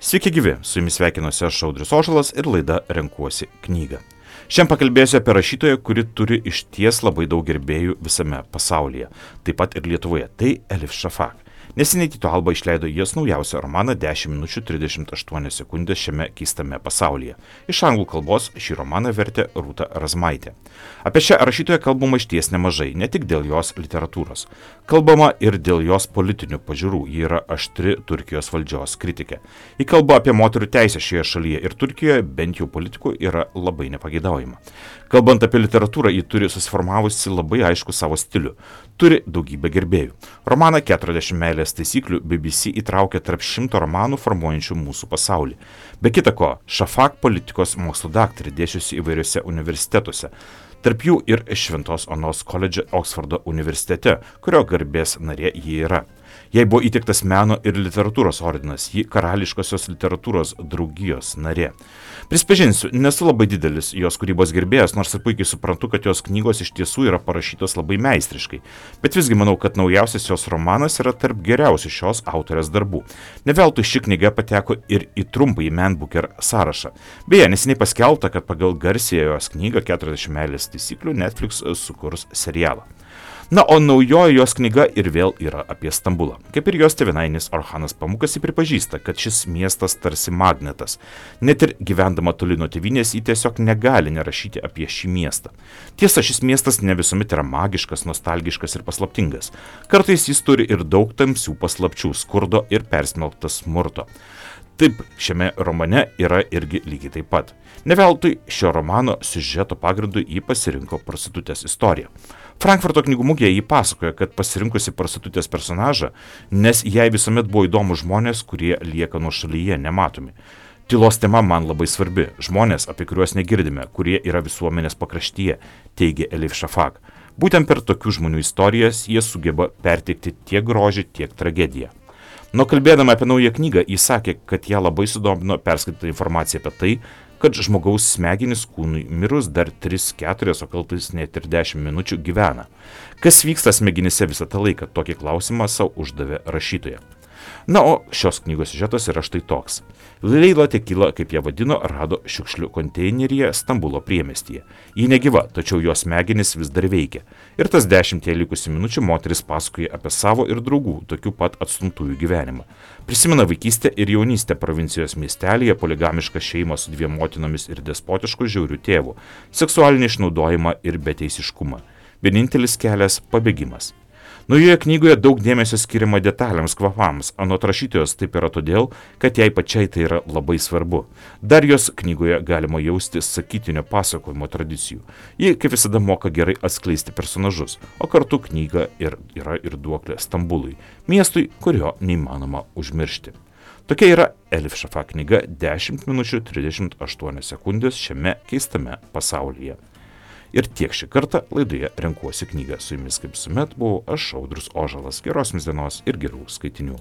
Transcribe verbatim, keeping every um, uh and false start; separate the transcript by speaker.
Speaker 1: Sveiki gyvi, su jumis sveikinuosi aš Audrius Ožalas ir laida Renkuosi knygą. Šiandien pakalbėsiu apie rašytoją, kuri turi išties labai daug gerbėjų visame pasaulyje, taip pat ir Lietuvoje, tai Elif Shafak. Neseniai Tyto Alba išleido jos naujausią romaną dešimt minučių trisdešimt aštuonios sekundės šiame keistame pasaulyje. Iš anglų kalbos šį romaną vertė Rūta Razmaitė. Apie šią rašytoją kalbama išties nemažai, ne tik dėl jos literatūros. Kalbama ir dėl jos politinių pažiūrų, ji yra aštri Turkijos valdžios kritikė. Ji kalba apie moterų teisę šioje šalyje ir Turkijoje, bent jau politikų, yra labai nepageidaujama. Kalbant apie literatūrą, ji turi susiformavusi labai aišku savo stilių. Turi daugybę gerbėjų. Romaną keturiasdešimt meilės taisyklių B B C įtraukė tarp šimto romanų formuojančių mūsų pasaulį. Be kita ko, Shafak politikos mokslo daktarė dėsčiusi įvairiuose universitetuose. Tarp jų ir Šventos Onos koledže Oksfordo universitete, kurio garbės narė ji yra. Jai buvo įteiktas meno ir literatūros ordinas, ji karališkosios literatūros draugijos narė. Prisipažinsiu, nesu labai didelis jos kūrybos gerbėjas, nors ir puikiai suprantu, kad jos knygos iš tiesų yra parašytos labai meistriškai. Bet visgi manau, kad naujausias jos romanas yra tarp geriausių šios autorės darbų. Ne veltui ši knyga pateko ir į trumpąjį Man Booker sąrašą. Beje, neseniai paskelbta, kad pagal garsiąją jos knygą keturiasdešimt meilės taisyklių Netflix sukurs serialą. Na, o naujoji jos knyga ir vėl yra apie Stambulą. Kaip ir jos tėvynainis Orhanas Pamukas, ji pripažįsta, kad šis miestas tarsi magnetas. Net ir gyvendama toli nuo tėvynės, ji tiesiog negali nerašyti apie šį miestą. Tiesa, šis miestas ne visuomet yra magiškas, nostalgiškas ir paslaptingas. Kartais jis turi ir daug tamsių paslapčių, skurdo ir persmelktas smurto. Taip, šiame romane yra irgi lygiai taip pat. Ne veltui šio romano siužeto pagrindu jį pasirinko prostitutės istoriją. Frankfurto knygų mugėje jį pasakoja, kad pasirinkusi prostitutės personažą, nes jai visuomet buvo įdomu žmonės, kurie lieka nuošalyje, nematomi. Tylos tema man labai svarbi, žmonės, apie kuriuos negirdime, kurie yra visuomenės pakraštyje, teigia Elif Shafak. Būtent per tokių žmonių istorijas jie sugeba perteikti tiek grožį, tiek tragediją. Nuo kalbėdama apie naują knygą, jis sakė, kad ją labai sudomino perskaityta informacija apie tai, kad žmogaus smegenys kūnui mirus dar tris keturias, o kartais net ir dešimt minučių gyvena. Kas vyksta smegenyse visą tą laiką, tokį klausimą savo uždavė rašytoja. Na, o šios knygos siužetas yra štai toks. Leila Tekila, kaip ją vadino, rado šiukšlių konteineryje Stambulo priemestyje. Ji negyva, tačiau jos smegenys vis dar veikia. Ir tas dešimtie likusių minučių moteris pasakoja apie savo ir draugų, tokių pat atstumtųjų gyvenimą. Prisimena vaikystę ir jaunystę provincijos miestelėje, poligamišką šeimą su dviem motinomis ir despotišku žiauriu tėvu, seksualinį išnaudojimą ir beteisiškumą. Vienintelis kelias – pabėgimas. Naujoje knygoje daug dėmesio skiriama detalėms, kvapams. Anot rašytojos taip yra todėl, kad jai pačiai tai yra labai svarbu. Dar jos knygoje galima jausti sakytinio pasakojimo tradicijų. Ji, kaip visada, moka gerai atskleisti personažus, o kartu knyga ir yra ir duoklė Stambului, miestui, kurio neįmanoma užmiršti. Tokia yra Elif Shafak knyga dešimt minučių trisdešimt aštuonios sekundės šiame keistame pasaulyje. Ir tiek šį kartą laidoje Renkuosi knygą. Su jumis kaip visuomet buvau aš Audrius Ožalas. Geros jums dienos ir gerų skaitinių.